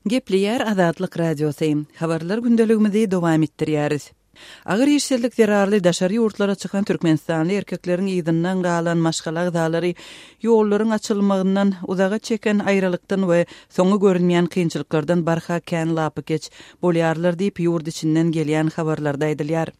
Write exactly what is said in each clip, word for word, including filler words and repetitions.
Gepleýär Azatlyk Radiosy. Habarlar gündeligimizi dowam etdirýäris. Agyr işsizlik zerarly daşary ýurtlara çykan türkmenistanly erkekleriň yzyndan galan maşgala agzalary ýollaryň açylmagyndan, uzaga çeken aýralykdan we soňy görünmeýän kynçylyklardan barha kän lapykeç bolýarlar diýip, ýurt içinden gelýän habarlarda aýdylýar.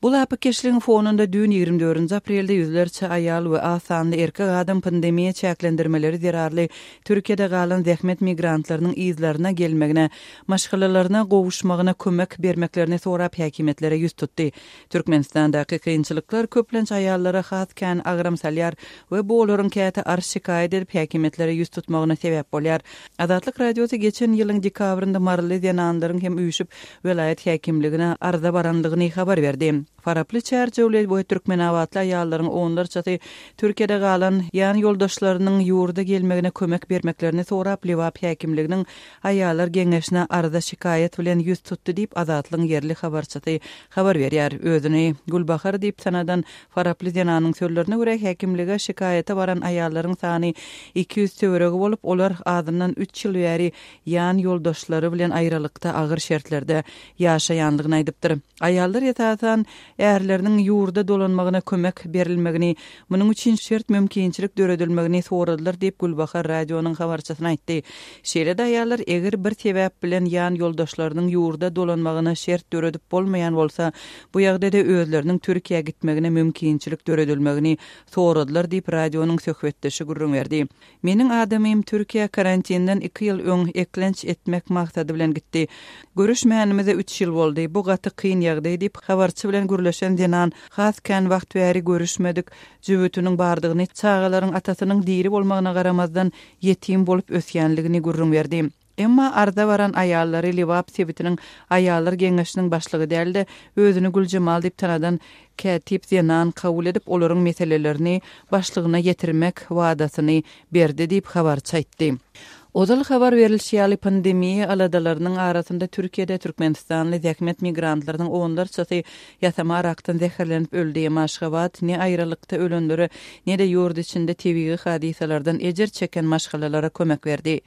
Bu lapykeçligiň fonunda düýn ýigrimi dördünji aprelde ýüzlerçe aýal we az sanly erkek adam pandemiýa çäklendirmeleri zerarly Türkiýede galan zähmet migrantlarynyň yzlaryna gelmegine, maşgalalaryna gowuşmagyna kömek bermeklerini sorap häkimiýetlere ýüz tutdy. Türkmenistandaky kynçylyklar köplenç aýallara has kän agram salýar we bu olaryň käte arz-şikaýat edip häkimiýetlere ýüz tutmagyna sebäp bolýar. Azatlyk Radiosy geçen ýylyň dekabrynda maryly zenanlaryň hem üýşüp welaýat häkimligine arza baranlygyny habar berdi. Faraply, Çärjewli we Türkmenabatly aýallaryň onlarçasy Türkiýede galan ýan ýoldaşlarynyň ýurda gelmegine kömek bermeklerini sorap Lebap häkimliginiň Aýallar geňeşine arza-şikaýat bilen ýüz tutdy diýip, Azatlygyň ýerli habarçysy habar berýär. Özüni Gülbahar diýip tanadan faraply zenanyň sözlerine görä, häkimlige şikaýata baran aýallaryň sany iki ýüz töweregi bolup, olar azyndan üç ýyl bäri ýan ýoldaşlary bilen aýralykda agyr şertlerde ýaşaýanlygyny aýdypdyr. Aýallar esasan ärleriniň ýurda dolanmagyna kömek berilmegini, munuň üçin şert-mümkinçilik döredilmegini soradylar diýip, Gülbahar radionyň habarçysyna aýtdy. Şeýle-de aýallar eger bir sebäp bilen ýan ýoldaşlarynyň ýurda dolanmagyna şert döredip bolmaýan bolsa, bu ýagdaýda özleriniň Türkiýä gitmegine mümkinçilik döredilmegini soradylar diýip, radionyň söhbetdeşi gürrüň berdi. Meniň adamym Türkiýä karantinden iki ýyl öň eklenç etmek maksady bilen gitdi. Görüşmänimize üç ýyl boldy. Bu gaty kyn ýagdaý diýip, habarçy bilen gürleşen zenan has kän wagt bäri görüşmedik jübütiniň bardygyny, çagalaryň atasynyň diri bolmagyna garamazdan ýetim bolup ösýänligini gürrüň berdi. Emma arza baran aýallary Lebap sebitiniň Aýallar geňeşiniň başlygy däl-de, özüni Güljemal diýip tanadan kätip zenan kabul edip, olaryň meselelerini başlygyna ýetirmek wadasyny berdi diýip, habarçy aýtdy. Ozal habar berlişi ýaly, pandemiýa aladalarynyň arasynda Türkiýede türkmenistanly zähmet migrantlarynyň onlarçasy ýasama arakdan zäherlenip öldi. Emma Aşgabat ne aýralykda ölenlere, ne-de ýurt içinde tebigy hadysalardan ejir çeken maşgalalara kömek berdi.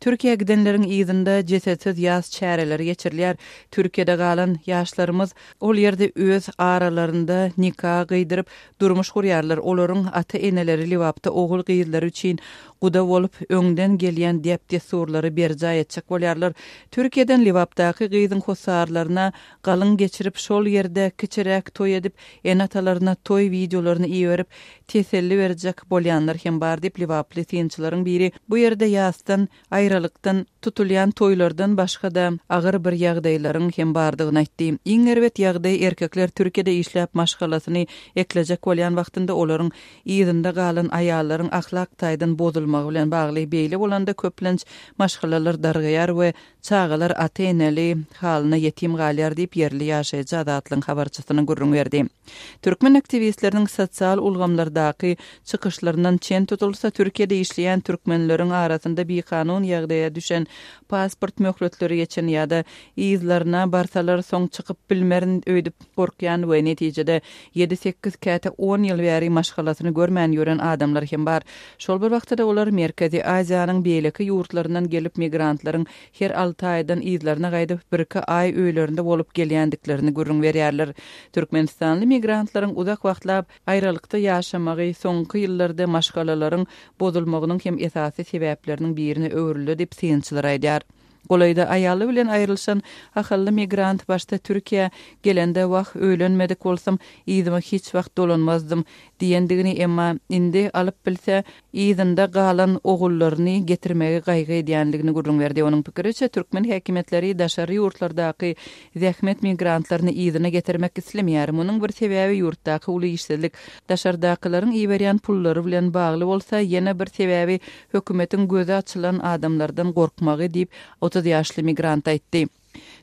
Türkiýä gidenleriň yzynda jesetsiz ýas çäreleri geçirilýär. Türkiýede galan ýaşlarymyz ol ýerde öz aralarynda nika gyýdyryp, durmuş gurýarlar. Olaryň ata-eneleri Lebapda ogul-gyzlary üçin guda bolup, öňden gelýän däp-dessurlary berjaý etjek bolýarlar. Türkiýeden Lebapdaky gyzyň hossarlaryna galyň geçirip, şol ýerde kiçiräk toý edip, ene-atalaryna toý wideolaryny iberip, teselli berjek bolýanlar hem bar diýip, lebaply synçylaryň biri bu ýerde ýasdan, aýralykdan tutulýan toýlardan başga-da agyr bir ýagdaýlaryň hem bardygyny aýtdy. Iň erbet ýagdaý erkekler Türkiýede işläp maşgalasyny eklejek bolýan wagtynda olaryň yzynda galan aýallaryň ahlak taýdan bozulmagy bilen bagly. Beýle bolanda köplenç maşgalalar dargaýar we çagalar ata-eneli halyna ýetim galýar diýip, ýerli ýaşaýjy Azatlygyň habarçysyna gürrüň berdi. Türkmen aktiwistleriniň sosial ulgamlardaky çykyşlaryndan çen tutulsa, Türkiýede işleýän türkmenleriň arasynda bikanun ýagdaýa düşen, pasport möhletleri geçen ýa-da yzlaryna barsalar soň çykyp bilmerin öýdüp gorkýan we netijede ýedi-sekiz käte on ýyl bäri maşgalasyny görmän ýören adamlar hem bar. Şol bir wagtda-da olar Merkezi Aziýanyň beýleki ýurtlaryndan gelip migrantlaryň her alty aýdan yzlaryna gaýdyp birki aý öýlerinde bolup gelýändiklerini gürrüň berýärler. Türkmenistanly migrantlaryň uzak wagtlap aýralykda ýaşamagy soňky ýyllarda maşgalalaryň bozulmagynyň hem esasy sebäpleriniň birine öwrüldi diýip synçylar aýdýar. Golaýda aýaly bilen aýrylyşan ahally migrant başda Türkiýä gelende wah öýlenmedik bolsam yzyma hiç wagt dolanmazdym diýendigini emma indi alyp bilse yzynda galan ogullaryny getirmegi gaýgy edýänligini gürrüň berdi. Onuň pikiriçe türkmen häkimiýetleri daşary ýurtlardaky zähmet migrantlaryny yzyna getirmek islemeýär. Munuň bir sebäbi ýurtdaky uly işsizlik, daşardakylaryň iberýän pullary bilen bagly bolsa, ýene bir sebäbi hökümetiň gözi açylan adamlardan gorkmagy diýip, otuz ýaşly migrant aýtdy.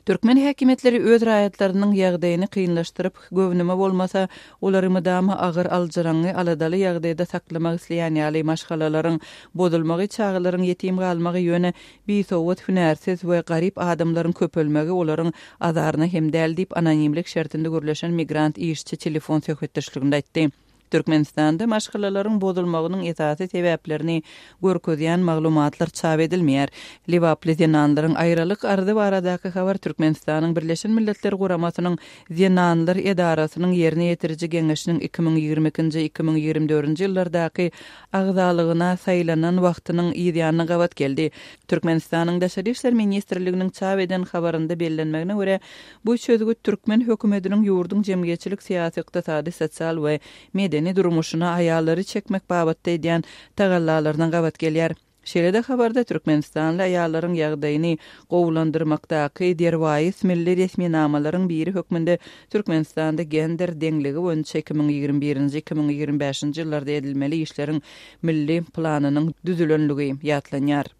Türkmen häkimiýetleri öz raýatlarynyň ýagdaýyny kynlaşdyryp, göwnüme bolmasa, olary mydama agyr aljyraňňy aladaly ýagdaýda saklamak isleýän ýaly maşgalalaryň bozulmagy, çagalaryň ýetim galmagy, ýöne bisowat, hünärsiz we garyp adamlaryň köpelmegi olaryň azaryna hem däl diýip, anonimlik şertinde gürleşen migrant işçi telefon söhbetdeşliginde aýtdy. Türkmenistanda maşgalalaryň bozulmagynyň esasy sebäplerini görkezýän maglumatlar çap edilmeýär. Lebaply zenanlaryň aýralyk arzy baradaky habar Türkmenistanyň Birleşen Milletler Guramasynyň Zenanlar edarasynyň ýerine ýetiriji geňeşiniň iki müň ýigrimi ikinji, iki müň ýigrimi dördünji ýyllardaky agzalygyna saýlanan wagtynyň yzýanyna gabat geldi. Türkmenistanyň Daşary işler ministrliginiň çap eden habarynda bellenmegine görä, bu çözgüt türkmen hökümetiniň ýurduň jemgyýetçilik-syýasy, ykdysady, sosial we medeni durmuşyna aýallary çekmek babatda edýän tagallalaryna gabat gelýär. Şeýle-de habarda türkmenistanly aýallaryň ýagdaýyny gowulandyrmakdaky derwaýys milli resminamalaryň biri hökmünde Türkmenistanda gender deňligi boýunça iki müň ýigrimi birinji, iki müň ýigrimi bäşinji ýyllarda edilmeli işleriň milli planynyň düzülenligi ýatlanýar.